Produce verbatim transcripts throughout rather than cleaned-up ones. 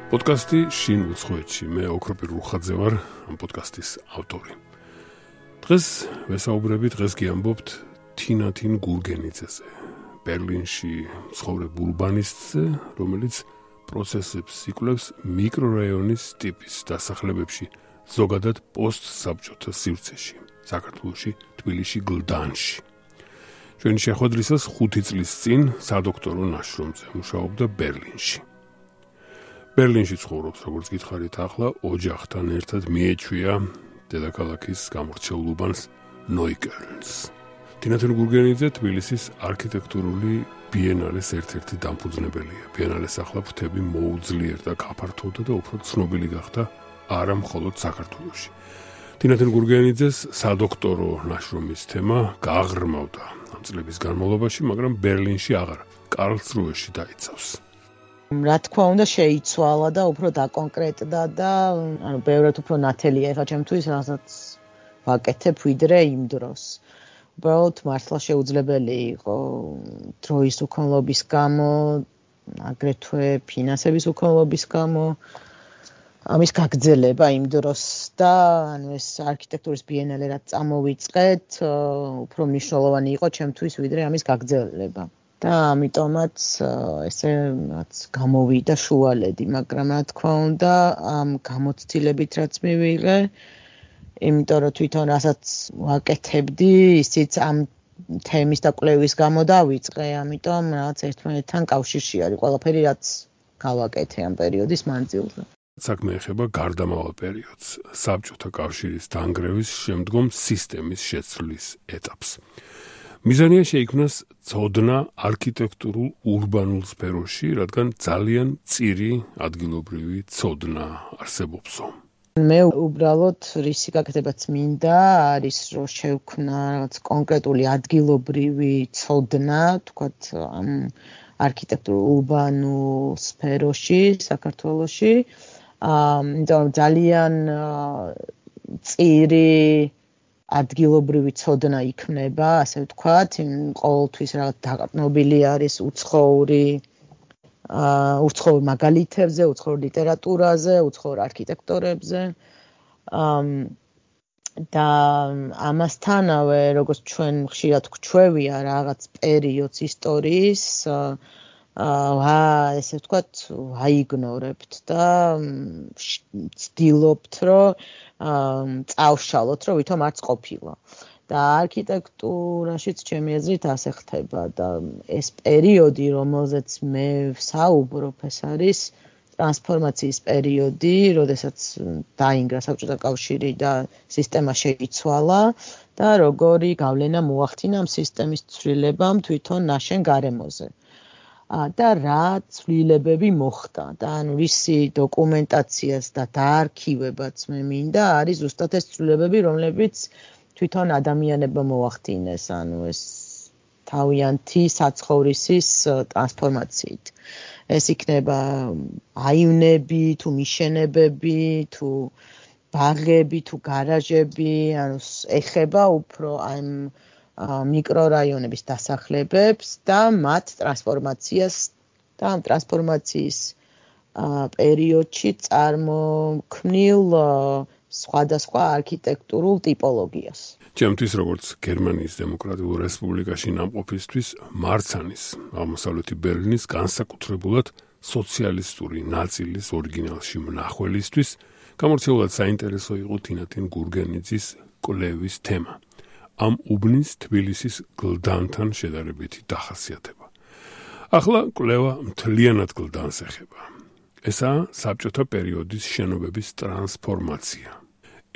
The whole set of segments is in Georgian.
პოდკასტი შინ უცხოეთში. მე ოქროპირ რუხაძე ვარ, ამ პოდკასტის ავტორი. დღეს ვესაუბრები, დღეს გიამბობთ თინათინ გურგენიძეზე, ბერლინში ცხოვრებ ურბანისტზე, რომელიც პროცესებს იკვლევს მიკრორაიონის ტიპის დასახლებებში, ზოგადად პოსტსაბჭოთა სივრცეში, საქართველოში, თბილისში, გლდანში. ჩვენი შეხვედრისას ხუთი წლის წინ სადოქტორო ნაშრომზე მუშაობდა ბერლინში. ბერლინში ცხოვრობს, როგორც გითხარით, ახლა ოჯახთან ერთად მიეჩვია დედაქალაქის გამორჩეულ უბანს ნოიკელნს. თინათინ გურგენიძე თბილისის არქიტექტურული ბიენალეს ერთ-ერთი დამფუძნებელია. ბიენალეს ახლა ფრთები მოუძლიერდა, გაფართოვდა და უფრო ცნობილი გახდა არა მხოლოდ საქართველოში. თინათინ გურგენიძეს სადოქტორო ნაშრომის თემა გააღრმავდა ამ წლების განმავლობაში, მაგრამ ბერლინში აღარ, კარლსრუეში დაიცავს. რა თქმა უნდა შეიცვალა და უფრო დაკონკრეტდა და ანუ ბევრად უფრო ნათელია ეხლა ჩემთვის რასაც ვაკეთებ ვიდრე იმ დროს. უბრალოდ მართლა შეუძლებელი იყო დროის უქონლობის გამო, აგრეთვე ფინანსების უქონლობის გამო ამის გაგრძელება იმ დროს და ანუ ეს არქიტექტურის ბიენალე რაც წამოვიწყეთ, უფრო მნიშვნელოვანი იყო ჩემთვის ვიდრე ამის გაგრძელება. და ამიტომაც ესე რაც გამოვიდა შუალედი, მაგრამ რა თქმა უნდა ამ გამოცდილებით რაც მივიღე, იმიტომ რომ თვითონ რასაც ვაკეთებდი, ისიც ამ თემის და კვლევის გამო დავიწყე, ამიტომ რაღაც ერთმანეთთან კავშირში არის ყველაფერი რაც გავაკეთე ამ პერიოდის მანძილზე. საქმე ეხება გარდამავალ პერიოდს, საბჭოთა კავშირის დანგრევის შემდგომ სისტემის შეცვლის ეტაპს. მიზანია შეიქმნას ცოდნა არქიტექტურულ ურბანულ სფეროში, რადგან ძალიან მწირი ადგილობრივი ცოდნა არსებობსო. მე უბრალოდ რისი გაკეთებაც მინდა არის რომ შევქმნა რაღაც კონკრეტული ადგილობრივი ცოდნა, თქვათ ამ არქიტექტურულ ურბანულ სფეროში საქართველოში. აა ძალიან მწირი ადგილობრივი ცოდნა იქმნება, ასე ვთქვათ, ყოველთვის რაღაც დაყრდნობილი არის უცხოური აა უცხოურ მაგალითებზე, უცხოურ ლიტერატურაზე, უცხოურ არქიტექტორებზე. აა და ამასთანავე, როგორც ჩვენ ხშირად გვჩვევია რაღაც პერიოდს ისტორიის, აა ესე ვთქვათ, აიგნორებთ და ვცდილობთ, რომ წავშალოთ, რომ ვითომ არც ყოფილა. და არქიტექტურაშიც ჩემი აზრით ასე ხდება და ეს პერიოდი, რომელზეც მე ვსაუბრობ, ეს არის ტრანსფორმაციის პერიოდი, როდესაც დაინგრა საბჭოთა კავშირი და სისტემა შეიცვალა და როგორი გავლენა მოახდინა ამ სისტემის ცვლილებამ თვითონ ნაშენ გარემოზე. და რა ცვლილებები მოხდა და ანუ რისი დოკუმენტაციას და დაარქივებაც მე მინდა არის ზუსტად ეს ცვლილებები, რომლებიც თვითონ ადამიანებმა მოახდინეს, ანუ ეს თავიანთი საცხოვრისის ტრანსფორმაციით. ეს იქნება აივნები, თუ მიშენებები, თუ ბაღები, თუ გარაჟები, ანუ ეხება უფრო ამ მიკრორაიონების დასახლებებს და მათ ტრანსფორმაციას და ამ ტრანსფორმაციის პერიოდში წარმოქმნილ სხვადასხვა არქიტექტურულ ტიპოლოგიას. ჩემთვის როგორც გერმანიის დემოკრატიულ რესპუბლიკაში ნამყოფისთვის მარცანის აღმოსავლეთი ბერლინის განსაკუთრებულად სოციალისტური ნაწილის ორიგინალში მნახველისთვის გამორჩეულად საინტერესო იყო თინათინ გურგენიძის კვლევის თემა. ამ უბნის თბილისის გლდანთან შედარებითი დახასიათება. ახლა კვლევა მთლიანად გლდანს ეხება. ესაა საბჭოთა პერიოდის შენობების ტრანსფორმაცია.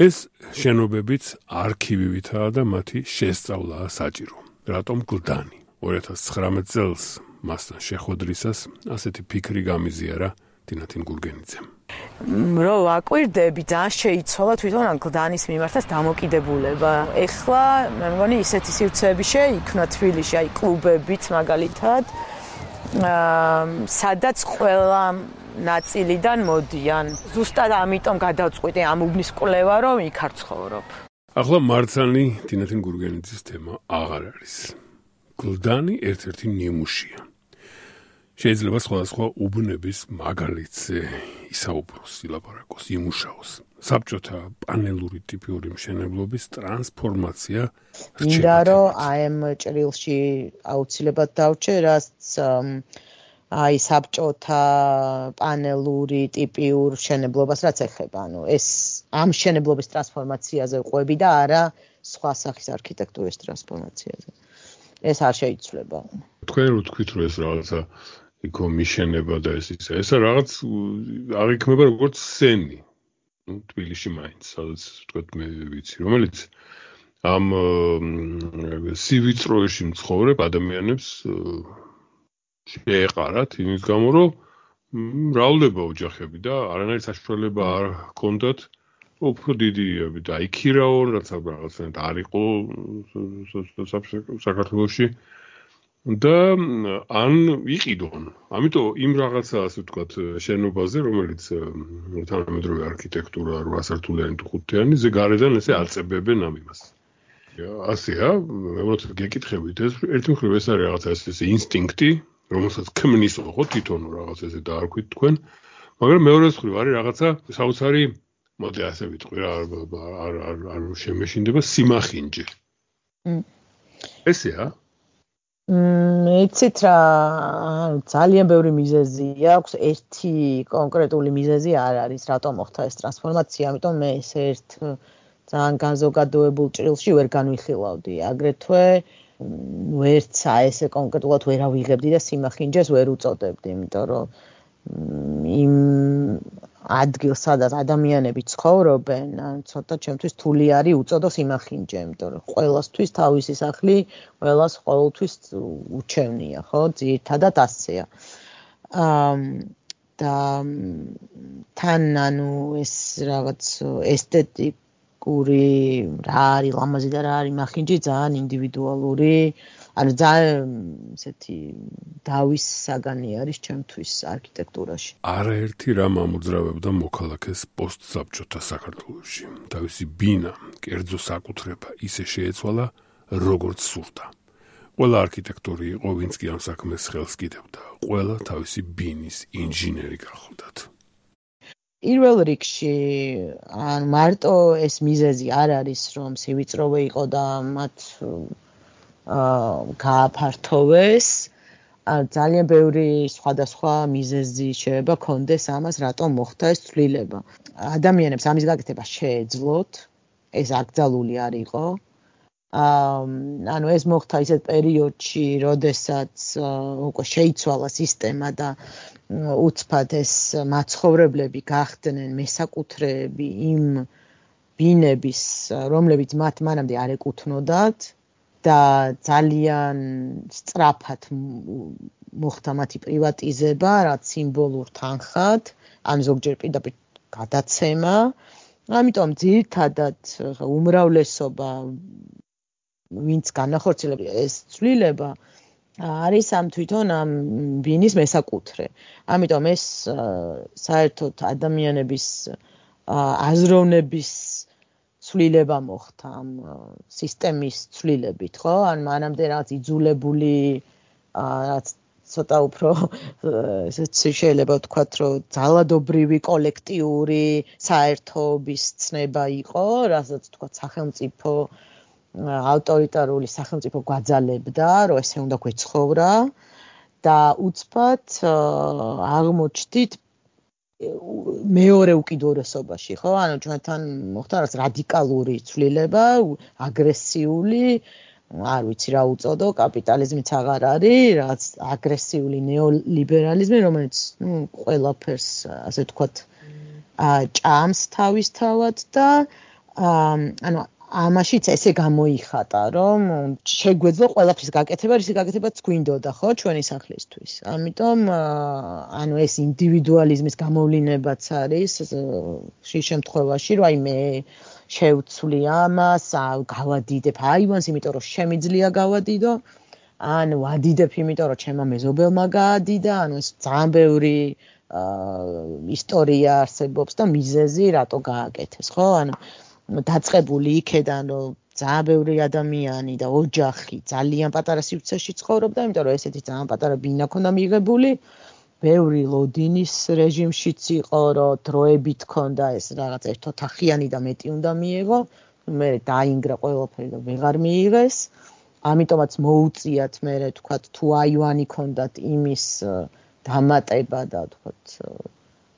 ეს შენობებიც არქივივითაა და მათი შესწავლაა საჭირო. რატომ გლდანი? ორი ათას ცხრამეტ წელს მასთან შეხვედრისას ასეთი ფიქრი გამიზიარა თინათინ გურგენიძემ. რო ვაკვირდები, ძალიან შეიცვალა თვითონ ამ გლდანის მიმართაც დამოკიდებულება. ეხლა მე მგონი ისეთი სივრცეები შეიქმნა თბილისში, აი კლუბებიც მაგალითად, აა სადაც ყველა ნაწილიდან მოდიან. ზუსტად ამიტომ გადავწყვიტე ამ უბნის კვლევა, რომ იქ არ ცხოვრობ. ახლა მარცანი თინათინ გურგენიძის თემა აღარ არის. გლდანი ერთ-ერთი ნიმუშია. შეიძლება სხვადასხვა უბნების მაგალითზე ისაუბროს, ილაპარაკოს, იმუშაოს. საბჭოთა პანელური ტიპიური მშენებლობის ტრანსფორმაცია რჩება. მინდა რომ აი ამ ჭრილში აუცილებლად დავჭერ, რაც აი საბჭოთა პანელური ტიპიურ მშენებლობას რაც ეხება, ანუ ეს ამ მშენებლობის ტრანსფორმაციაზე ყვები და არა სხვა სახის არქიტექტურის ტრანსფორმაციაზე. ეს არ შეიცვლება. თქვენ რო თქვით რომ ეს რაღაცა იქო მიშენება და ეს ისა, ეს რაღაც აღიქმება როგორც სცენი. ნუ თბილისში მაინც, სადაც თქვათ მე ვიცი, რომელიც ამ სივიწროებში მცხოვრებ ადამიანებს შეეყარათ იმის გამო, რომ მრავლდება ოჯახები და არანაირი საშუალება არ ჰქონდათ უფრო დიდი დაიქირაონ, რაც რაღაცნაირად არ იყო საქართველოში და ან იყიდონ. ამიტომ იმ რაღაცა ასე ვთქვათ შენობაზე, რომელიც თანამედროვე არქიტექტურა რვა სართულიანი თუ ხუთიანი, ზე გარედან ესე აწებებენ ამ იმას. ასეა, როცა გეკითხებით ეს ერთი მხრივ ეს არის რაღაცა ესე ინსტინქტი, რომელსაც ქმნის ხო თვითონ რაღაც ესე დაარქვით თქვენ, მაგრამ მეორე მხრივ არის რაღაცა საოცარი მოდი ასე ვიტყვი რა არ არ არ შემეშინდება სიმახინჯე. ესეა? მმ, იცით რა, ძალიან ბევრი მიზეზი აქვს, ერთი კონკრეტული მიზეზი არ არის, რატომ მოხდა ეს ტრანსფორმაცია, ამიტომ მე ეს ერთ ძალიან განზოგადოებულ ჭრილში ვერ განვიხილავდი. აგრეთვე ვერც ესე კონკრეტულად ვერ ავიღებდი და სიმახინჯეს ვერ უწოდებდი, იმიტომ რომ იმ ადგილს, სადაც ადამიანები ცხოვრობენ, ცოტა ჩემთვის რთული არის უწოდო სიმახინჯე, იმიტომ რომ ყველასთვის თავისი სახლი, ყველას ყოველთვის უჩევნია, ხო? ძირითადად ასეა. და თან ანუ ეს რაღაც ესთეტიკური რა არის ლამაზი და რა არის მახინჯი ძალიან ინდივიდუალური, ანუ ძალიან ესეთი დავის საგანი არის ჩემთვის არქიტექტურაში. არაერთი რამ ამოძრავებდა მოქალაქეს პოსტსაბჭოთა საქართველოში. თავისი ბინა, კერძო საკუთრება ისე შეეცვალა, როგორც სურდა. ყველა არქიტექტორი იყო, ვინც კი ამ საქმეს ხელს კიდევდა. ყველა თავისი ბინის ინჟინერი გახლდათ. პირველ რიგში, ან მარტო ეს მიზეზი არ არის, რომ სივიწროვე იყო და მათ გააფართოვეს, ძალიან ბევრი სხვადასხვა მიზეზი შეიძლება კონდეს ამას, რატომ მოხდა ეს ცვლილება. ადამიანებს ამის გაკეთება შეეძლოთ, ეს აკრძალული არ იყო. ანუ ეს მოხდა ისეთ პერიოდში, როდესაც უკვე შეიცვალა სისტემა და უცბად ეს მაცხოვრებლები გახდნენ მესაკუთრეები იმ ბინების, რომლებიც მათ მანამდე არ ეკუთვნოდათ. და ძალიან სწრაფად მოხდა მათი პრივატიზება, რაც სიმბოლურ თანხად, ან ზოგჯერ პირდაპირ გადაცემა. ამიტომ ძირითადად უმრავლესობა ვინც განახორციელებს ეს ცვლილება არის ამ თვითონ ამ ბინის მესაკუთრე. ამიტომ ეს საერთოდ ადამიანების აზროვნების ცვლილება მოხდა ამ სისტემის ცვლილებით, ხო? ან მანამდე რაღაც იძულებული რაც ცოტა უფრო ესეც შეიძლება ვთქვათ, რომ ძალადობრივი კოლექტიური საერთოობის ცნება იყო, რასაც ვთქვათ სახელმწიფო ავტორიტარული სახელმწიფო გვაძალებდა, რომ ესე უნდა გვეცხოვრა და უცბად აღმოჩნდით მეორე უკიდურესობაში, ხო? ანუ ჩვენთან მოხდა რაღაც რადიკალური ცვლილება, აგრესიული, არ ვიცი რა უწოდო, კაპიტალიზმიც აღარ არის, რაც აგრესიული ნეოლიბერალიზმი, რომელიც, ნუ, ყველაფერს, ასე ვთქვათ, ჭამს თავისთავად და ანუ ამაშიც ესე გამოიხატა, რომ შეგვეძლო ყველაფრის გაკეთება, ისი გაკეთებაც გვინდოდა, ხო, ჩვენი სახლისთვის. ამიტომ ანუ ეს ინდივიდუალიზმის გამოვლინებაც არის შე შემთხვევაში, რომ აი მე შევცვლი ამას, გავადიდებ აივანს, იმიტომ რომ შემიძლია გავადიდო, ან ვადიდებ, იმიტომ რომ ჩემმა მეზობელმა გაადიდა, ანუ ეს ძალიან ბევრი ისტორია არსებობს და მიზეზი რატო გააკეთეს, ხო? ანუ დაწყებული იქედან, რომ ძალიან ბევრი ადამიანი და ოჯახი ძალიან პატარა სივრცეში ცხოვრობდა, იმიტომ რომ ესეთი ძალიან პატარა ბინა ქონდა მიღებული. ბევრი ლოდინის რეჟიმშიც იყო, რომ დროებით ქონდა ეს რაღაც ერთოთახიანი და მეტი უნდა მიიღო. მე დაინგრა ყველაფერი და ვეღარ მიიღეს. ამიტომაც მოუწიათ მე თქვათ თუ აივანი ქონდათ იმის დამატება და თქვათ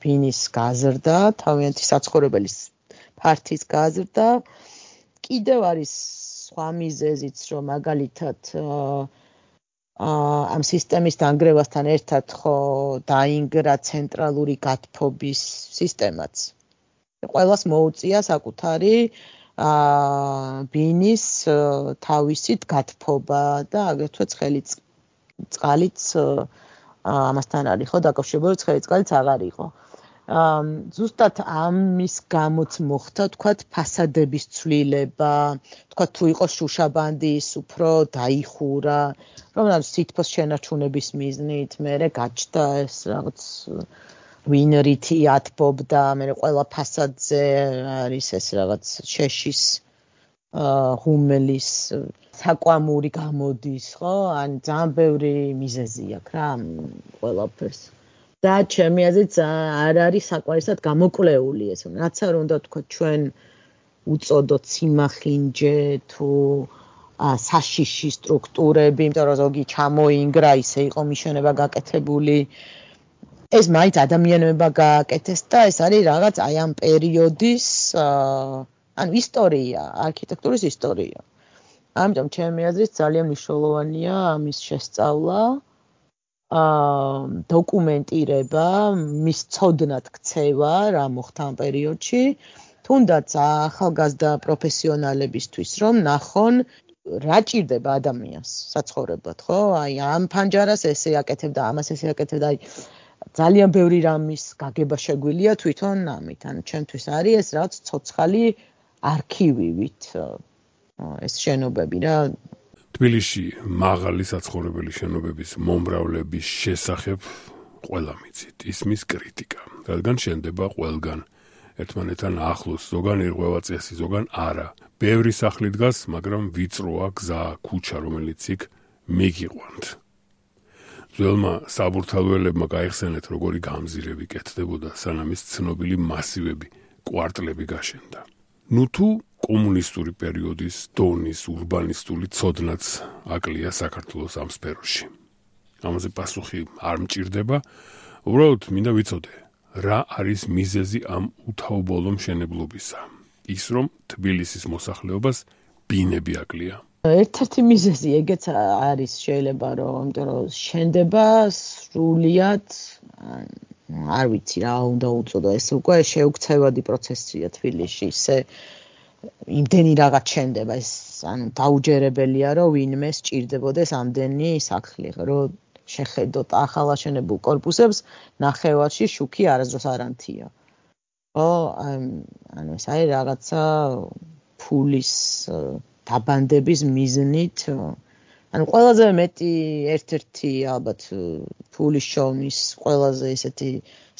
ბინის გაზრდა, თავიანთი საცხოვრებელი ფართის გაზრდა. კიდევ არის სხვა მიზეზიც, რომ მაგალითად ამ სისტემის დანგრევასთან ერთად ხო დაინგრა ცენტრალური გათბობის სისტემაც. ყველას მოუწია საკუთარი ბინის თავისით გათბობა და აგრეთვე ცხელი წყალიც ამასთან არის ხო დაკავშირებული, ცხელი წყალიც აღარ იყო. ზუსტად ამის გამოც მოხდა თქვათ ფასადების ცვლილება, თქვათ თუ იყო შუშაბანდის უფრო დაიხურა, რომ სითბოს შენარჩუნების მიზნით მერე გაჩნდა ეს რაღაც ვინრითი ათბობდა, მერე ყველა ფასადზე არის ეს რაღაც შეშის ღუმელის საკვამური გამოდის, ხო? ან ძალიან ბევრი მიზეზი აქვს რა ყველაფერს. და ჩემი აზრით არ არის საკმარისად გამოკვლეული ეს. რაც არ უნდა თქვა ჩვენ უწოდოთ სიმახინჯე თუ საშიში სტრუქტურები, იმიტომ რომ ზოგი ჩამოინგრა, ისე იყო მიშენება გაკეთებული. ეს მაინც ადამიანებმა გააკეთეს და ეს არის რაღაც აი ამ პერიოდის ანუ ისტორია, არქიტექტურის ისტორია. ამიტომ ჩემი აზრით ძალიან მნიშვნელოვანია ამის შესწავლა. დოკუმენტირება, მის ცოდნად ქცევა, რა მოხდა ამ პერიოდში, თუნდაც ახალგაზრდა პროფესიონალებისთვის, რომ ნახონ, რა ჭირდება ადამიანს საცხოვრებლად, ხო? აი ამ ფანჯარას ესე აკეთებდა, ამას ესე აკეთებდა, აი ძალიან ბევრი რამის გაგება შეგვიძლია თვითონ ამით, ანუ ჩემთვის არის ეს რაც ცოცხალი არქივივით ეს შენობები რა. თბილისში მაღალი საცხოვრებელი შენობების მომრავლების შესახებ ყველა მიცით ისმის კრიტიკა, რადგან შენდება ყველგან ერთმანეთთან ახლოს, ზოგან ერღვევა წესი, ზოგან არა. ბევრი სახლი დგას, მაგრამ ვიწროა გზა, ქუჩა, რომელიც იქ მიგიყვანთ. ძველმა საბურთალოელებმა გაიხსენეთ, როგორი გამზირები კეთდებოდა, სანამ ის ცნობილი მასივები, კვარტლები გაშენდა. ნუ თუ კომუნისტური პერიოდის დონის ურბანისტული ცოდნაც აკლია საქართველოს ამ სფეროში. ამაზე პასუხი არ მჭირდება, უბრალოდ მინდა ვიცოდე, რა არის მიზეზი ამ უთაობოლო მშენებლობისა, ის რომ თბილისის მოსახლეობას ბინები აკლია. ერთ-ერთი მიზეზი ეგეც არის შეიძლება რომ იმიტომ რომ შენდება სრულიად არ ვიცი რა უნდა უწოდო, ეს უკვე შეუქცევადი პროცესია თბილისში, ისე იმდენი რაღაც შენდება, ეს ანუ დაუჯერებელია რომ ვინმე სჭირდებოდეს ამდენი სახლი, რომ შეხედოთ ახალაშენებულ კორპუსებს, ნახევარში შუქი არასდროს არ ანთია. ხო, ანუ ეს არის რაღაცა ფულის დაბანდების მიზნით, ანუ ყველაზე მეტი ერთ-ერთი ალბათ ფულის შოვნის ყველაზე ისეთი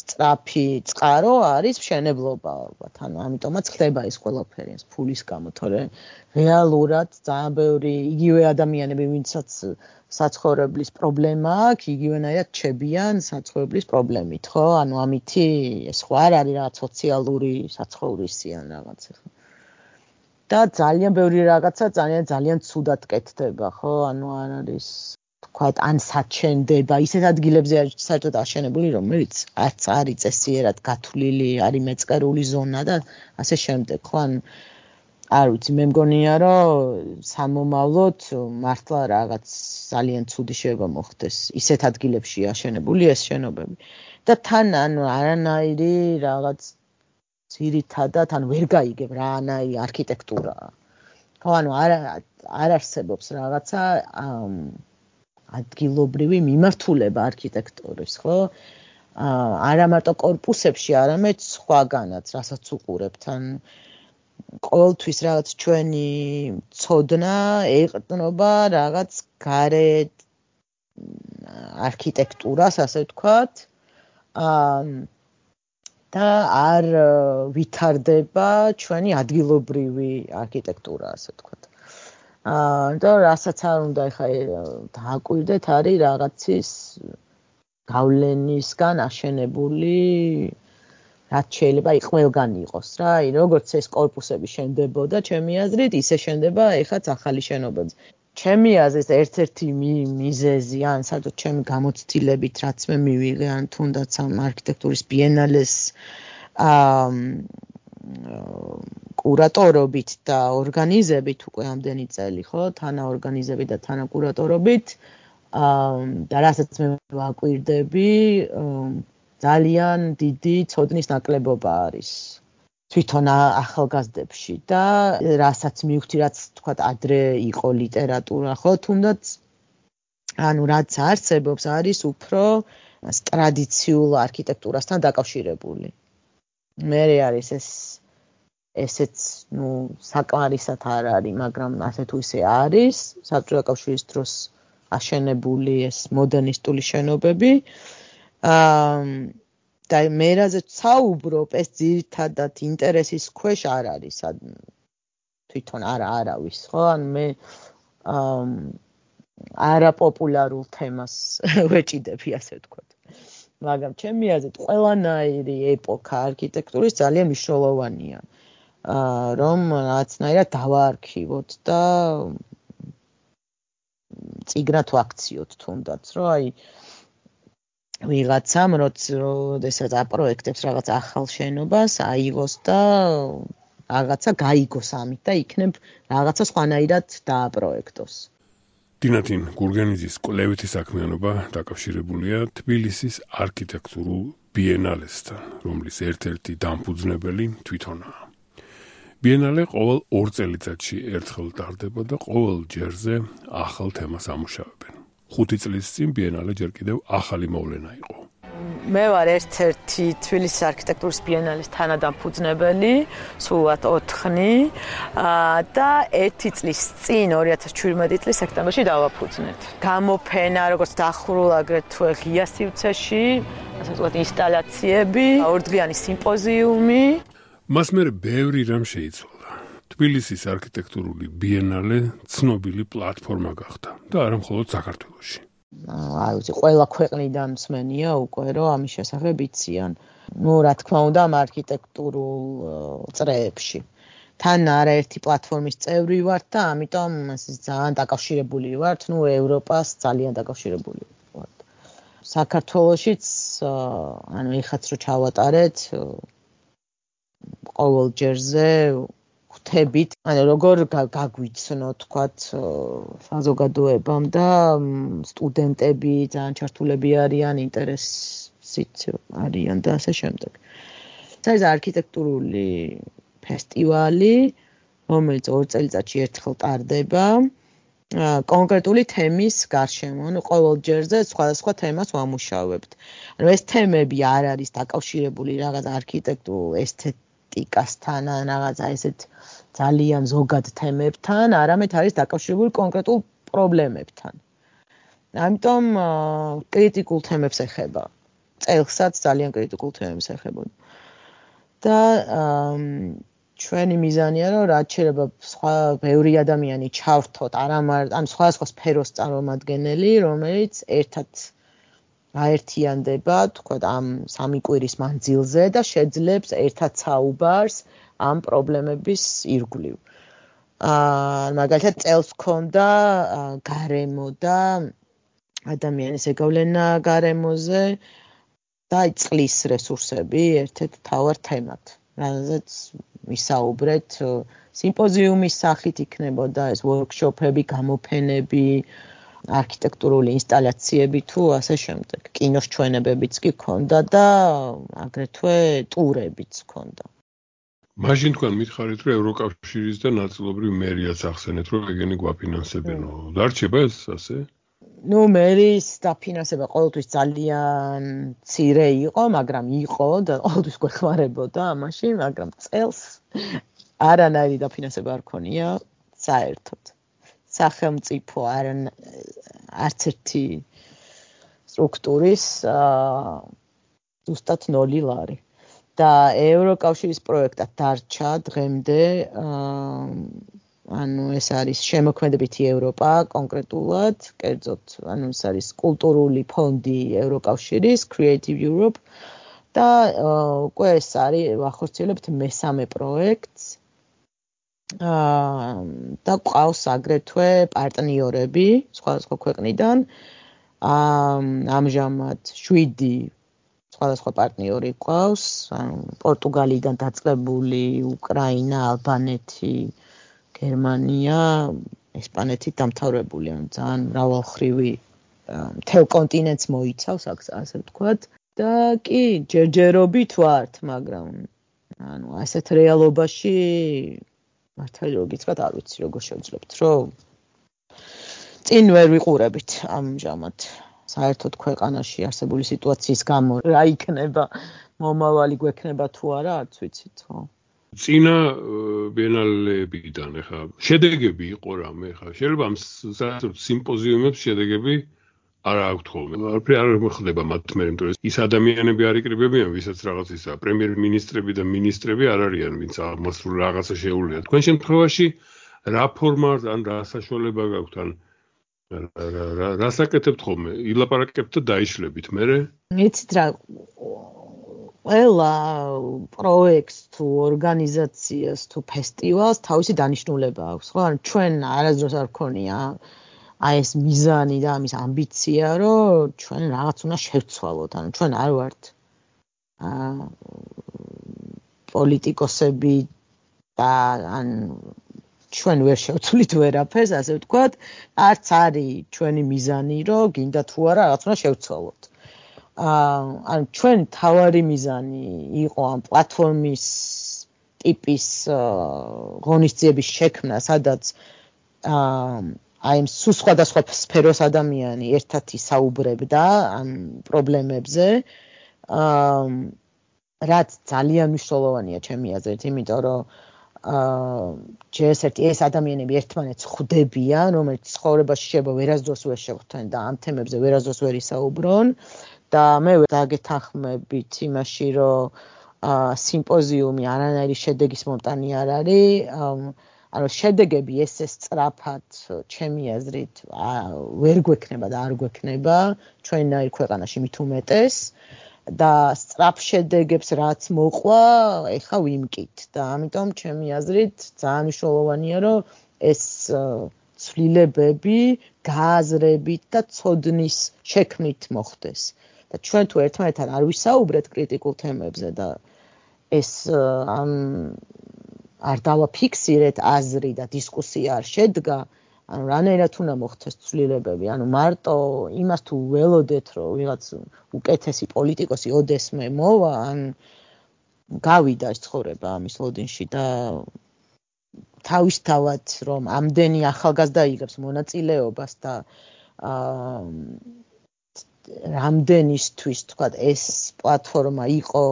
სწრაფი წყარო არის მშენებლობა ალბათ, ანუ ამიტომაც ხდება ეს ყველაფერი ეს ფულის გამო, თორე რეალურად ძალიან ბევრი იგივე ადამიანები, ვინცაც საცხოვრებლის პრობლემა აქვს, იგივენაირად ჩებიან საცხოვრებლის პრობლემით, ხო? ანუ ამითი ეს ხო არ არის რაღაც სოციალური საცხოვრისი ან რაღაც ხო? და ძალიან ბევრი რაღაცა ძალიან ძალიან ცუდად კეთდება, ხო? ანუ არ არის თქვათ ან საჩენდება, ისეთ ადგილებზე საერთოდ აშენებული, რომელიც არც არის წესიერად გათვლილი, არის მეწყერული ზონა და ასე შემდეგ, ხო? ან არ ვიცი, მე მგონია, რომ სამომავლოდ მართლა რაღაც ძალიან ცუდი შეიძლება მოხდეს ისეთ ადგილებში აშენებული ეს შენობები. და თან ანუ არანაირი რაღაც ძირითადად ან ვერ გაიგებ რანაირი არქიტექტურაა. ხო, ანუ არ არ არსებობს რაღაცა ადგილობრივი მიმართულება არქიტექტურის, ხო? არა მარტო კორპუსებში, არამედ სხვაგანაც, რასაც უყურებთ, ან ყოველთვის რაღაც ჩვენი ცოდნა ეყრდნობა რაღაც გარე არქიტექტურას, ასე ვთქვათ. და არ ვითარდება ჩვენი ადგილობრივი არქიტექტურა, ასე ვთქვათ. აა და რასაც არ უნდა ეხა დააკვირდეთ, არის რაღაცის გავლენისგან აშენებული, რაც შეიძლება ყველგან იყოს რა, აი როგორც ეს კორპუსები შენდებოდა, ჩემი აზრით, ისე შენდება ეხაც ახალი შენობები. ჩემი აზრით ერთ-ერთი მიზეზი, ან საერთოდ ჩემი გამოცდილებით, რაც მე მივიღე, ან თუნდაც ამ არქიტექტურის ბიენალეს აა კურატორობით და ორგანიზებით უკვე ამდენი წელი, ხო, თანაორგანიზებით და თანაკურატორობით, აა და რასაც მე ვაკვირდები, ძალიან დიდი ცოდნის ნაკლებობა არის თვითონ ახალგაზრდებში და რასაც მივხვდი, რაც თქვა ადრე იყო ლიტერატურა, ხო, თუნდაც ანუ რაც არსებობს, არის უფრო ტრადიციულ არქიტექტურასთან დაკავშირებული. მე არის ეს ესეც, ნუ, საკმარისად არ არის, მაგრამ ასე თუ ისე არის, საბჭოთა კავშირის დროს აშენებული ეს მოდერნისტული შენობები. აა და მე რაზეც საუბრობ, ეს ძირითადად ინტერესის ქვეშ არ არის, თვითონ არა არავის, ხო? ანუ მე აა არაპოპულარულ თემას ვეჭიდები, ასე ვთქვათ. მაგრამ ჩემი აზრით, ყველანაირი ეპოქა არქიტექტურის ძალიან მნიშვნელოვანია, აა რომ რაღაცნაირად დავაარქივოთ და წიგნად ვაქციოთ თუნდაც, რომ აი ვიღაცამ როდესაც აპროექტებს რაღაც ახალ შენობას, აიღოს და რაღაცა გაიგოს ამით და იქნებ რაღაცა სხვანაირად დააპროექტოს. დინათინ გურგენიძის კვლევითი საქმიანობა დაკავშირებულია თბილისის არქიტექტურულ ბიენალესთან, რომლის ერთ-ერთი დამფუძნებელი თვითონაა. ბიენალე ყოველ ორ წელიწადში ერთხელ ტარდება და ყოველ ჯერზე ახალ თემას ამუშავებენ. ხუთი წლის წინ ბიენალე ჯერ კიდევ ახალი მოვლენა იყო. მე ვარ ერთ-ერთი თბილისის არქიტექტურის ბიენალის თანადამფუძნებელი, სულად ოთხნი და ერთი წლის წინ ორი ათას ჩვიდმეტი წლის სექტემბერში დავაფუძნეთ. გამოფენა, როგორც დახურულ აგრეთვე ღია სივრცეში, ასე ვთქვათ, ინსტალაციები, ორდღიანი სიმპოზიუმი. მას მერე ბევრი რამ შეიცვალა. თბილისის არქიტექტურული ბიენალე ცნობილი პლატფორმა გახდა და არა მხოლოდ საქართველოში. აი, ვიცი, ყველა ქვეყნიდან მსმენია უკვე, რომ ამის შესახებ იციან. ნუ, რა თქმა უნდა, ამ არქიტექტურულ წრეებში. თან არაერთი პლატფორმის წევრი ვართ და ამიტომ ძალიან დაკავშირებული ვართ, ნუ, ევროპას ძალიან დაკავშირებული ვართ. საქართველოშიც, ანუ ეხაც რო ჩავატარეთ, ყოველ ჯერზე ხვდებით, ანუ როგორ გაგვიცნო, თქვათ, საზოგადოებამ და სტუდენტები ძალიან ჩართულები არიან, ინტერესით არიან და ასე შემდეგ. ეს არქიტექტურული ფესტივალი, რომელიც ორ წელიწადში ერთხელ ტარდება, კონკრეტული თემის გარშემო, ანუ ყოველ ჯერზე სხვადასხვა თემას ვამუშავებთ. ანუ ეს თემები არ არის დაკავშირებული რაღაც არქიტექტურულ ესთეტიკასთან, ან რაღაცა ესეთ ძალიან ზოგად თემებთან, არამედ არის დაკავშირებული კონკრეტულ პრობლემებთან. ამიტომ კრიტიკულ თემებს ეხება. წელსაც ძალიან კრიტიკულ თემებს ეხებოდა. და ჩვენი მიზანია, რომ რაც შეიძლება სხვა ბევრი ადამიანი ჩავრთოთ, არამარ, ან სხვადასხვა სფეროს წარმომადგენელი, რომელიც ერთად გაერთიანდება, თქვა, ამ სამი კვირის მანძილზე და შეძლებს ერთად საუბარს ამ პრობლემების ირგვლივ. აა მაგალითად წელს ჰქონდა გარემო და ადამიანის ეგავლენა გარემოზე და წყლის რესურსები ერთ-ერთ მთავარ თემად. რაზეც ვისაუბრეთ სიმპოზიუმის სახით იქნებოდა ეს ვორქშოპები, გამოფენები, არქიტექტურული ინსტალაციები თუ ასე შემდეგ. კინოს ჩვენებებიც კი ჰქონდა და აგრეთვე ტურებიც ჰქონდა. მაშინ თქვენ მითხარით, რომ ევროკავშირის და ნაწილობრივ მერიაც ახსენეთ, რომ ეგენი გვაფინანსებენო. დარჩება ეს ასე? ნუ მერის დაფინანსება ყოველთვის ძალიან მცირე იყო, მაგრამ იყო და ყოველთვის გვეხმარებოდა ამაში, მაგრამ წელს არანაირი დაფინანსება არ ქონია საერთოდ. სახელმწიფო არც ერთი სტრუქტურის ზუსტად ნოლი ლარი. და ევროკავშირის პროექტად დარჩა დღემდე ანუ ეს არის შემოქმედებითი ევროპა კონკრეტულად, კერძოდ ანუ ეს არის კულტურული ფონდი ევროკავშირის Creative Europe და უკვე ეს არის ვახორციელებთ მესამე პროექტს. აა და ყავს აგრეთვე პარტნიორები სხვადასხვა ქვეყნიდან. აა ამჟამად შვიდი სხვადასხვა პარტნიორი ყავს, ანუ პორტუგალიიდან დაწყებული, უკრაინა, ალბანეთი, გერმანია, ესპანეთით დამთავრებული, ანუ ძალიან მრავალხრივი მთელ კონტინენტს მოიცავს, ასე ვთქვათ. და კი, ჯერჯერობით ვართ, მაგრამ ანუ ასეთ რეალობაში მართალი რო გითხრათ, არ ვიცი როგორ შევძლებთ, რომ წინ ვერ ვიყურებით ამჟამად. საერთოდ ქვეყანაში არსებული სიტუაციის გამო რა იქნება, მომავალი გვექნება თუ არა, არც ვიცით, ხო? წინა ბიენალებიდან ეხა შედეგები იყო რამე ეხა შეიძლება ამ სიმპოზიუმებს შედეგები არ აქვთ ხოლმე. არაფერი არ მოხდება მათ მე, იმიტომ რომ ის ადამიანები არ იკრიბებიან, ვისაც რაღაცისა პრემიერ-მინისტრები და მინისტრები არ არიან, ვინც აღმასრულებელ რაღაცა შეუულია. თქვენ შემთხვევაში რა ფორმა ან რა საშუალება გაქვთ ან რას აკეთებთ ხოლმე? ილაპარაკებთ და დაიშლებით მერე? იცით რა ყველა პროექტს თუ ორგანიზაციას თუ ფესტივალს თავისი დანიშნულება აქვს, ხო? ან ჩვენ არასდროს არ გქონია აი ეს მიზანი და ამის ამბიცია, რომ ჩვენ რაღაც უნდა შევცვალოთ, ანუ ჩვენ არ ვართ აა პოლიტიკოსები და ან ჩვენ ვერ შევცვლით ვერაფერს, ასე ვთქვათ, არც არის ჩვენი მიზანი, რომ გინდა თუ არა რაღაც უნდა შევცვალოთ. აა ან ჩვენ თავარი მიზანი იყო ამ პლატფორმის ტიპის ღონისძიების შექმნა, სადაც აა აი ამ სხვადასხვა სფეროს ადამიანი ერთად ისაუბრებდა ამ პრობლემებზე. აა რაც ძალიან მნიშვნელოვანია ჩემი აზრით, იმიტომ რომ აა ჯერ ეს ადამიანები ერთმანეთს ხვდებიან, რომელიც ცხოვრებაში შეიძლება ვერასდროს ვერ შეხვდნენ და ამ თემებზე ვერასდროს ვერ ისაუბრონ. და მე დაგეთანხმებით იმაში, რომ სიმპოზიუმი არანაირი შედეგის მომტანი არ არის. ანუ შედეგები ესე სწრაფად, ჩემი აზრით, ვერ გვექნება და არ გვექნება ჩვენნაირ ქვეყანაში მით უმეტეს. და სწრაფ შედეგებს რაც მოყვა, ეხა ვიმკით და ამიტომ ჩემი აზრით ძალიან მნიშვნელოვანია, რომ ეს ცვლილებები გააზრებით და ცოდნის შექმნით მოხდეს. და ჩვენ თუ ერთმანეთთან არ ვისაუბრეთ კრიტიკულ თემებზე და ეს ამ არ დავაფიქსირეთ აზრი და დისკუსია არ შედგა, ანუ რანაირად უნდა მოხდეს ცვლილებები, ანუ მარტო იმას თუ ველოდეთ, რომ ვიღაც უკეთესი პოლიტიკოსი ოდესმე მოვა, ან გავიდა ეს ცხოვრება ამის ლოდინში და თავისთავად რომ ამდენი ახალგაზრდა იღებს მონაწილეობას და აა რამდენისთვის თქვა ეს პლატფორმა იყო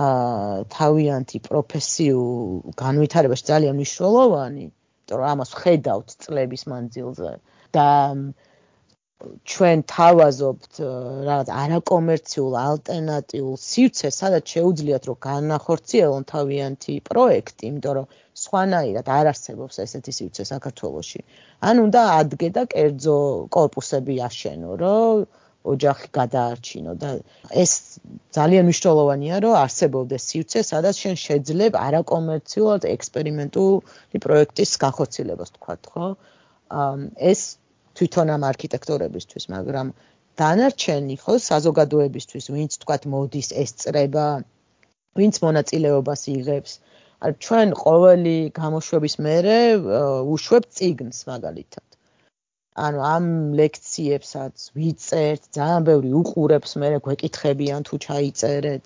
აა თავიანთი პროფესიულ განვითარებაში ძალიან მნიშვნელოვანი, იმიტომ რომ ამას ხედავთ წლების მანძილზე და ჩვენ თავაზობთ რაღაც არაკომერციულ ალტერნატიულ სივრცეს, სადაც შეუძლიათ რომ განახორციელონ თავიანთი პროექტი, იმიტომ რომ სხვანაირად არ არსებობს ესეთი სივრცე საქართველოში. ან უნდა ადგე და კერძო კორპუსები აშენო, რომ ოჯახი გადაარჩინო და ეს ძალიან მნიშვნელოვანია, რომ არსებობდეს სივრცე, სადაც შენ შეძლებ არაკომერციულად ექსპერიმენტული პროექტის განხორციელებას, თქვათ, ხო? ეს თვითონ ამ არქიტექტორებისთვის, მაგრამ დანარჩენი ხო საზოგადოებისთვის, ვინც თქვათ მოდის ესწრება, ვინც მონაწილეობას იღებს. არ ჩვენ ყოველი გამოშვების მერე უშვებთ წიგნს მაგალითად. ანუ ამ ლექციებსაც ვიწერთ, ძალიან ბევრი უყურებს, მერე გვეკითხებიან თუ ჩაიწერეთ.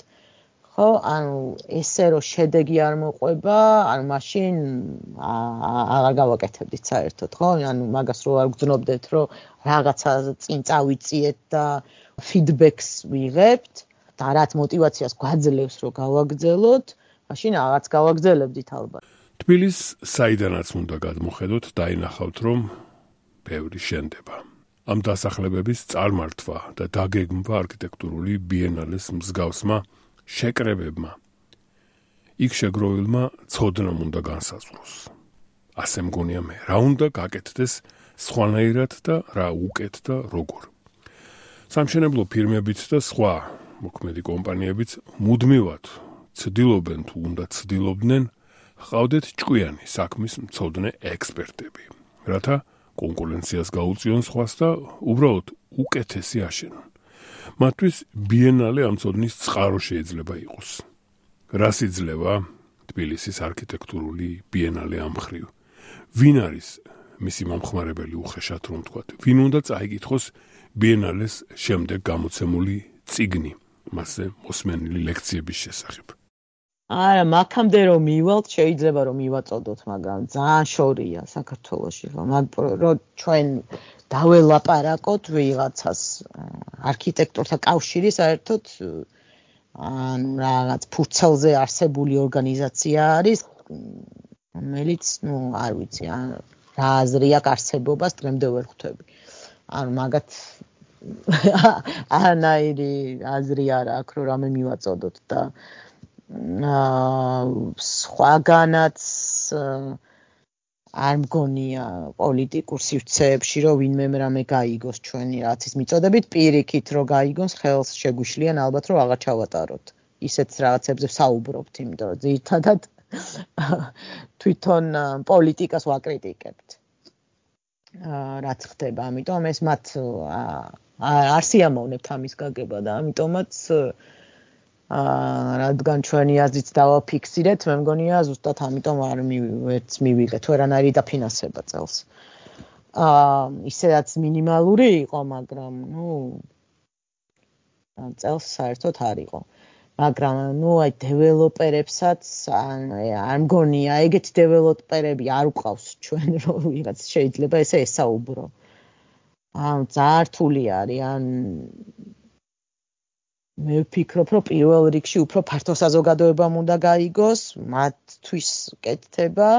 ხო, ანუ ესე რომ შედეგი არ მოყვება, ანუ მაშინ აღარ გავაკეთებდით საერთოდ, ხო? ანუ მაგას რო არ გძნობდეთ, რომ რაღაცა წინ წავიწიეთ და ფიდბექს ვიღებთ და რაც мотиваციას გვაძლევს, რომ გავაგრძელოთ, მაშინ რაღაც გავაგრძელებდით ალბათ. თბილისს საიდანაც უნდა გადმოხედოთ, დაინახავთ, რომ ბევრი შენდება. ამ დასახლებების წარმართვა და დაგეგმვა არქიტექტურული ბიენალეს მსგავსმა შეკრებებმა იქ შეგროვილმა ცოდნამ უნდა განსაზღვროს. ასე მგონია მე, რა უნდა გაკეთდეს სხვანაირად და რა უკეთ და როგორ. სამშენებლო ფირმებიც და სხვა მოქმედი კომპანიებიც მუდმივად ცდილობენ თუ უნდა ცდილობდნენ ჰყავდეთ ჭკვიანი საქმის მცოდნე ექსპერტები, რათა კონკურენციას გაუწიონ სხვას და უბრალოდ უკეთესი აშენონ. მათთვის ბიენალე ამ ცოდნის წყარო შეიძლება იყოს. რას იძლევა თბილისის არქიტექტურული ბიენალე ამ მხრივ? ვინ არის მისი მომხმარებელი უხეშად რომ თქვა? ვინ უნდა წაიკითხოს ბიენალეს შემდეგ გამოცემული წიგნი, მასზე მოსმენილი ლექციების შესახებ? არა, მაქამდე რომ მივალთ, შეიძლება რომ მივაწოდოთ, მაგრამ ძალიან შორია საქართველოში, რომ ჩვენ დაველაპარაკოთ ვიღაცას არქიტექტორთა კავშირი საერთოდ ან რაღაც ფურცელზე არსებული ორგანიზაცია არის, რომელიც, ну, არ ვიცი, რა აზრი აქვს არსებობას დღემდე ვერ ხვდები. ანუ მაგათ ანაირი აზრი არ აქვს, რომ რამე მივაწოდოთ და სხვაგანაც არ მგონია პოლიტიკურ სივრცეებში, რომ ვინმე რამე გაიგოს ჩვენი რაც ის მიწოდებით, პირიქით რომ გაიგოს, ხელს შეგვიშლიან ალბათ რომ აღარ ჩავატაროთ. ისეთ რაღაცებზე საუბრობთ, იმიტომ რომ ძირითადად თვითონ პოლიტიკას ვაკრიტიკებთ. რაც ხდება, ამიტომ ეს მათ არ სიამოვნებთ ამის გაგება და ამიტომაც რადგან ჩვენი აზრით დავაფიქსირეთ, მე მგონია ზუსტად ამიტომ არ ვერც მივიღეთ ვერანაირი დაფინანსება წელს. აა ისედაც მინიმალური იყო, მაგრამ ნუ წელს საერთოდ არ იყო. მაგრამ ნუ აი დეველოპერებსაც არ მგონია ეგეთი დეველოპერები არ უყავს ჩვენ რომ ვიღაც შეიძლება ესე ესაუბრო. აა ძალიან რთული არის ან მე ვფიქრობ, რომ პირველ რიგში უფრო ფართო საზოგადოებამ უნდა გაიგოს, მათთვის კეთდება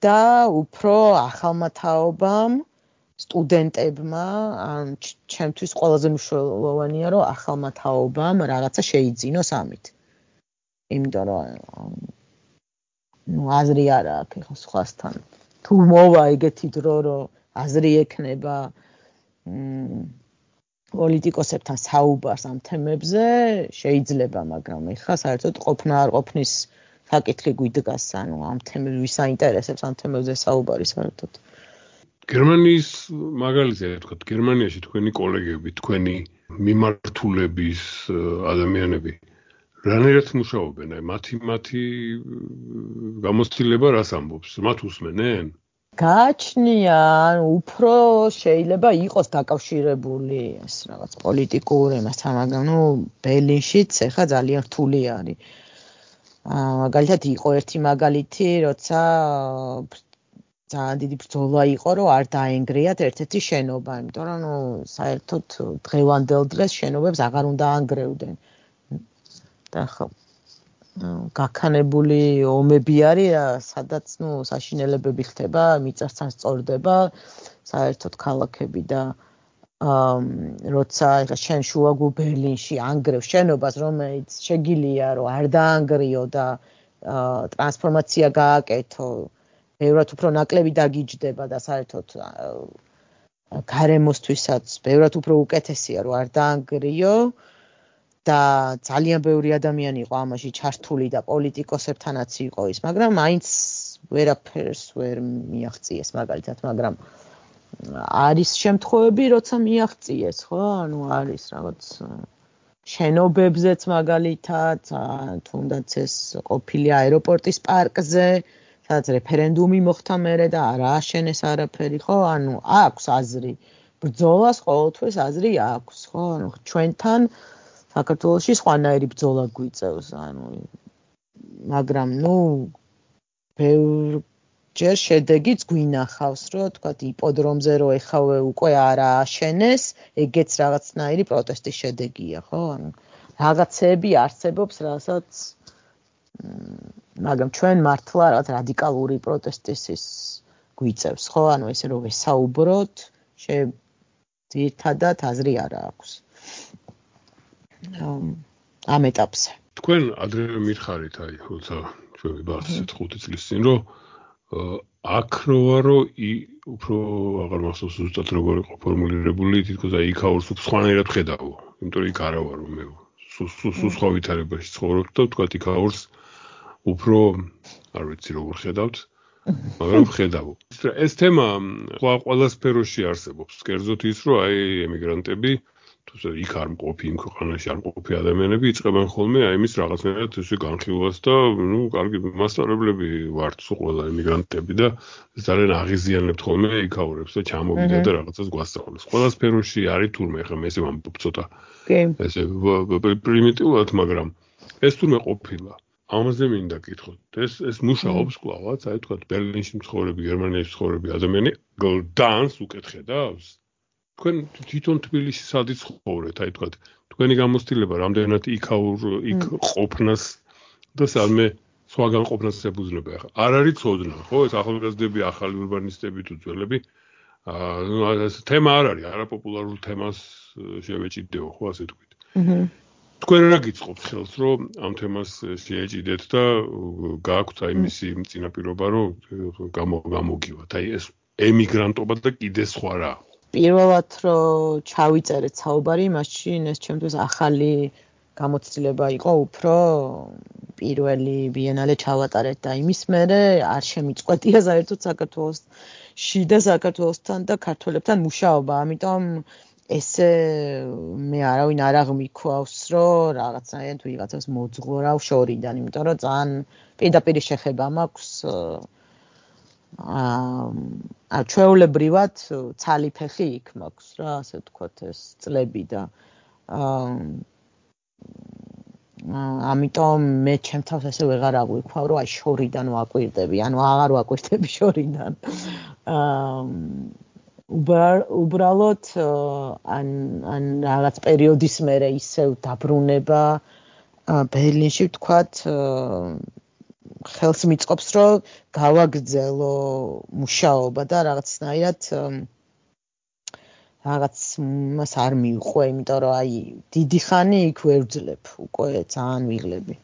და უფრო ახალმა თაობამ, სტუდენტებმა, ან ჩემთვის ყველაზე მნიშვნელოვანია, რომ ახალმა თაობამ რაღაცა შეიძინოს ამით. იმიტომ რომ ნუ აზრი არ აქვს ხო სხვასთან. თუ მოვა ეგეთი დრო, რომ აზრი ექნება პოლიტიკოსებთან საუბარს ამ თემებზე შეიძლება, მაგრამ ეხლა საერთოდ ყოფნა არ ყოფნის საკითხი გვიდგას, ანუ ამ თემებს ვის აინტერესებს ამ თემებზე საუბარი საერთოდ. გერმანიის მაგალითია, თქვა, გერმანიაში თქვენი კოლეგები, თქვენი მიმართულების ადამიანები რანაირად მუშაობენ? აი მათი მათი გამოცდილება რას ამბობს? მათ უსმენენ? გააჩნია, ანუ უფრო შეიძლება იყოს დაკავშირებული ეს რაღაც პოლიტიკურ ემასთან, მაგრამ ნუ ბერლინშიც ეხლა ძალიან რთული არის. აა მაგალითად იყო ერთი მაგალითი, როცა ძალიან დიდი ბრძოლა იყო, რომ არ დაენგრიათ ერთ-ერთი შენობა, იმიტომ რომ ნუ საერთოდ დღევანდელ დღეს შენობებს აღარ უნდა ანგრევდნენ. და ხო გაქანებული ომები არის, სადაც ნუ საშინელებები ხდება, მიწასთან სწორდება საერთოდ ქალაქები და აა როცა ეხლა შენ შუაგულ ბერლინში ანგრევ შენობას, რომელიც შეგილია რომ არ დაანგრიო და ტრანსფორმაცია გააკეთო, ბევრად უფრო ნაკლები დაგიჯდება და საერთოდ გარემოსთვისაც ბევრად უფრო უკეთესია რომ არ დაანგრიო. და ძალიან ბევრი ადამიანი იყო ამაში ჩართული და პოლიტიკოსებთანაც იყო ის, მაგრამ მაინც ვერაფერს ვერ მიაღწიეს მაგალითად, მაგრამ არის შემთხვევები, როცა მიაღწიეს, ხო? ანუ არის რაღაც შენობებზეც მაგალითად, თუნდაც ეს ყოფილი აეროპორტის პარკზე, სადაც რეფერენდუმი მოხდა მერე და არ ააშენეს არაფერი, ხო? ანუ აქვს აზრი. ბრძოლას ყოველთვის აზრი აქვს, ხო? ანუ ჩვენთან საქართველოში სხვანაირი ბრძოლა გვიწევს, ანუ მაგრამ ნუ ბევრჯერ შედეგიც გვინახავს, რომ თქვა იპოდრომზე რომ ეხავე უკვე არ ააშენეს, ეგეც რაღაცნაირი პროტესტის შედეგია, ხო? ანუ რაღაცები არსებობს, რასაც მაგრამ ჩვენ მართლა რაღაც რადიკალური პროტესტის ის გვიწევს, ხო? ანუ ესე რომ ვესაუბროთ, ძირითადად აზრი არ აქვს. ამ ეტაპზე. თქვენ ადრე მითხარით აი, როცა ჩვენ ვიბარცეთ ხუთი წლის წინ, რომ აქ როა რომ უფრო აღარ მახსოვს ზუსტად როგორ იყო ფორმულირებული, თითქოს აი იქაურს უფრო სხვანაირად ხედავო, იმიტომ რომ იქ არა ვარ მე. სულ სხვა ვითარებაში ცხოვრობ და თქვა იქაურს უფრო არ ვიცი როგორ ხედავთ, მაგრამ ხედავ. ეს თემა ყველა სფეროში არსებობს. კერძოდ ის, რომ აი ემიგრანტები თუმცა იქ არ მყოფი, იმ ქვეყანაში არ მყოფი ადამიანები იწყებენ ხოლმე აი იმის რაღაცნაირად ესე განხილვას და ნუ კარგი მასწავლებლები ვართ სულ ყველა ემიგრანტები და ძალიან აღიზიანებთ ხოლმე იქაურებს და ჩამოვიდა და რაღაცას გვასწავლეს. ყველა სფეროში არის თურმე ხა მე ესე ვამბობ ცოტა. ესე პრიმიტიულად, მაგრამ ეს თურმე ყოფილა. ამაზე მინდა გითხოთ. ეს ეს მუშაობს კლავაც, აი თქვა ბერლინში მცხოვრები, გერმანიაში მცხოვრები ადამიანი გლდანს უკეთ ხედავს. თქვენ თვითონ თბილისში სადი ცხოვრეთ, აი თქვა თქვენი გამოცდილება რამდენად იქაურ იქ ყოფნას და სამე სხვაგან ყოფნას ებუძნება ახლა. არ არის ცოდნა, ხო? ეს ახალგაზრდები, ახალი ურბანისტები თუ ძველები. აა ეს თემა არ არის, არაპოპულარულ თემას შევეჭიდეო, ხო, ასე თქვით. აჰა. თქვენ რა გიწყობთ ხელს, რომ ამ თემას შეეჭიდეთ და გააქვთ აი მისი წინაპირობა, რომ გამოგივათ. აი ეს ემიგრანტობა და კიდე სხვა რა. პირველად რომ ჩავიწერეთ საუბარი, მაშინ ეს ჩემთვის ახალი გამოცდილება იყო უფრო პირველი ბიენალე ჩავატარეთ და იმის მერე არ შემიწყვეტია საერთოდ საქართველოს შიდა საქართველოსთან და ქართველებთან მუშაობა, ამიტომ ესე მე არავინ არ აღმიქვავს, რომ რაღაცნაირად ვიღაცას მოძღვრავ შორიდან, იმიტომ რომ ძალიან პირდაპირ შეხება მაქვს აა ჩვეულებრივად ცალი ფეხი იქ მაქვს რა, ასე ვთქვათ, ეს წლები და აა ამიტომ მე ჩემ თავს ესე ვეღარ აღვიქვავ, რომ აი შორიდან ვაკვირდები, ანუ აღარ ვაკვირდები შორიდან. აა უბრალოდ ან ან რაღაც პერიოდის მერე ისევ დაბრუნება ბერლინში ვთქვათ ხელს მიწყობს, რომ გავაგრძელო მუშაობა და რაღაცნაირად რაღაც მას არ მივყვე, იმიტომ რომ აი დიდი ხანი იქ ვერ ვძლებ, უკვე ძალიან ვიღლები.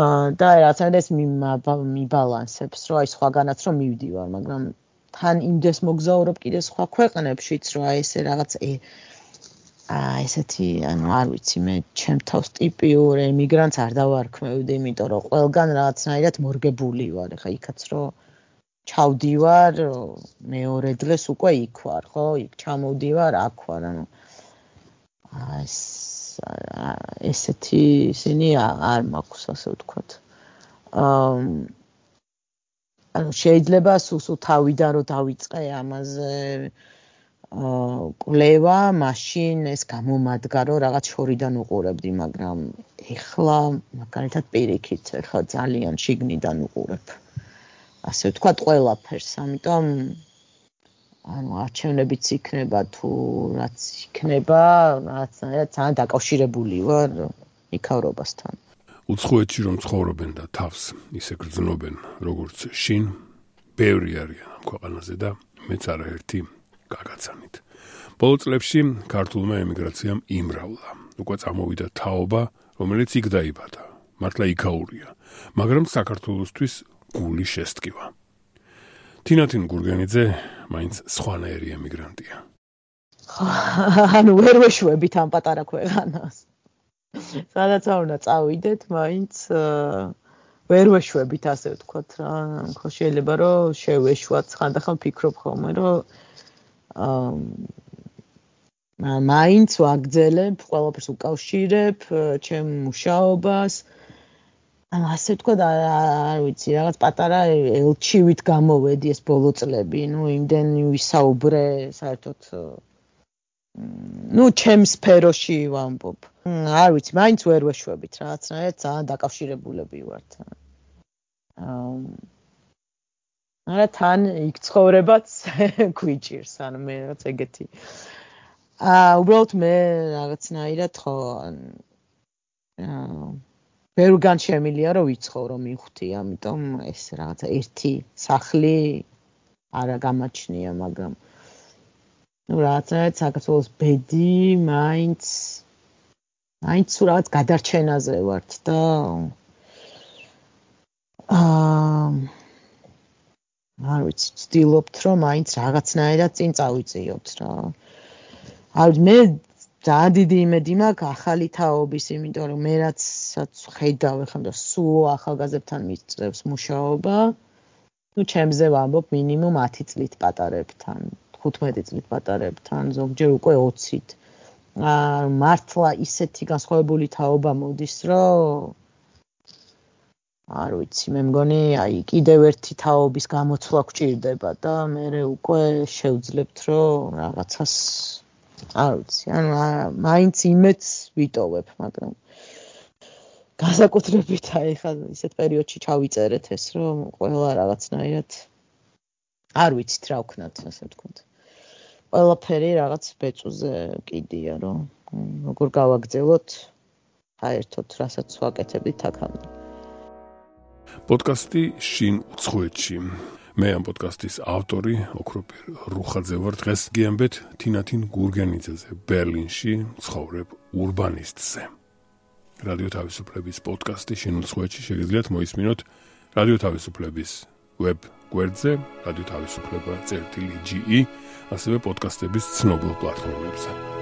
აა და რაღაცნაირად ეს მიბალანსებს, რომ აი სხვაგანაც რომ მივდივარ, მაგრამ თან იმდეს მოგზაურობ კიდე სხვა ქვეყნებშიც, რომ აი ესე რაღაც აა ესეთი, ანუ არ ვიცი, მე ჩემ თავს ტიპიურ ემიგრანტს არ დავარქმევდი, იმიტომ რომ ყველგან რაღაცნაირად მორგებული ვარ. ეხა იქაც რომ ჩავდივარ, მეორე დღეს უკვე იქ ვარ, ხო? იქ ჩამოვდივარ, აქ ვარ, ანუ ეს ესეთი ისინი არ მაქვს, ასე ვთქვათ. აა ანუ შეიძლება სულ თავიდან რომ დავიწყე ამაზე აა კვლევა, მაშინ ეს გამომადგა, რომ რაღაც შორიდან უყურებდი, მაგრამ ეხლა მაგალითად პირიქით, ეხლა ძალიან შიგნიდან უყურებ. ასე ვთქვათ, ყველაფერს, ამიტომ ანუ არჩევნებიც იქნება თუ რაც იქნება, რაღაცნაირად ძალიან დაკავშირებული ვარ იქავრობასთან. უცხოეთში რომ ცხოვრობენ და თავს ისე გრძნობენ, როგორც შინ, ბევრი არიან ამ ქვეყანაზე და მეც არაერთი გაგაცანით. ბოლო წლებში ქართულმა ემიგრაციამ იმრავლა. უკვე წამოვიდა თაობა, რომელიც იქ დაიბადა. მართლა იქაურია, მაგრამ საქართველოსთვის გული შესტკივა. თინათინ გურგენიძე მაინც სხვანაირი ემიგრანტია. ანუ ვერ ვეშვებით ამ პატარა ქვეყანას. სადაც არ უნდა წავიდეთ, მაინც ვერ ვეშვებით, ასე ვთქვათ რა. ხო შეიძლება რომ შევეშვათ, ხანდახან ვფიქრობ ხოლმე, რომ აა მაინც ვაგრძელებ, ყველაფერს უკავშირებ, ჩემ მუშაობას. ანუ ასე ვთქვათ, არ ვიცი, რაღაც პატარა ელჩივით გამოვედი ეს ბოლო წლები, ნუ იმდენი ვისაუბრე, საერთოდ ნუ ჩემ სფეროში ვამბობ. არ ვიცი, მაინც ვერ ვეშვებით, რაღაცნაირად ძალიან დაკავშირებულები ვართ. აა არა თან იქ ცხოვრებაც გვიჭირს, ანუ მე რაღაც ეგეთი. აა უბრალოდ მე რაღაცნაირად ხო აა ბევრგან შემილია რომ ვიცხოვრო მივხვდი, ამიტომ ეს რაღაცა ერთი სახლი არა გამაჩნია, მაგრამ ნუ რაღაცნაირად საქართველოს ბედი მაინც მაინც რაღაც გადარჩენაზე ვართ და აა არ ვიცი, ვცდილობთ რომ მაინც რაღაცნაირად წინ წავიწიოთ რა. არ მე ძალიან დიდი იმედი მაქვს ახალი თაობის, იმიტომ რომ მე რაც ხედავ ახლა და სულ ახალგაზრდებთან მიწევს მუშაობა. ნუ ჩემზე ვამბობ მინიმუმ ათი წლით პატარებთან, ხუთმეტი წლით პატარებთან, ზოგჯერ უკვე ოცით. აა მართლა ისეთი განსხვავებული თაობა მოდის, რომ არ ვიცი, მე მგონი, აი კიდევ ერთი თაობის გამოცვლა გვჭირდება და მე უკვე შევძლებთ, რომ რაღაცას არ ვიცი, ანუ მაინც იმედს ვიტოვებ, მაგრამ განსაკუთრებით აი ხა ისეთ პერიოდში ჩავიწერეთ ეს, რომ ყველა რაღაცნაირად არ ვიცით რა ვქნათ, ასე ვთქვათ. ყველაფერი რაღაც ბეწუზე კიდია, რომ როგორ გავაგრძელოთ საერთოდ, რასაც ვაკეთებდით აქამდე. პოდკასტი შინ უცხოეთში. მე ამ პოდკასტის ავტორი ოქროპირ რუხაძე ვარ. დღეს გიამბეთ თინათინ გურგენიძეზე, ბერლინში ცხოვრებ ურბანისტზე. რადიო თავისუფლების პოდკასტი შინ უცხოეთში შეგიძლიათ მოისმინოთ რადიო თავისუფლების ვებ გვერდზე, რადიო თავისუფლება წერტილი ჯი ი, ასევე პოდკასტების ცნობილ პლატფორმებზე.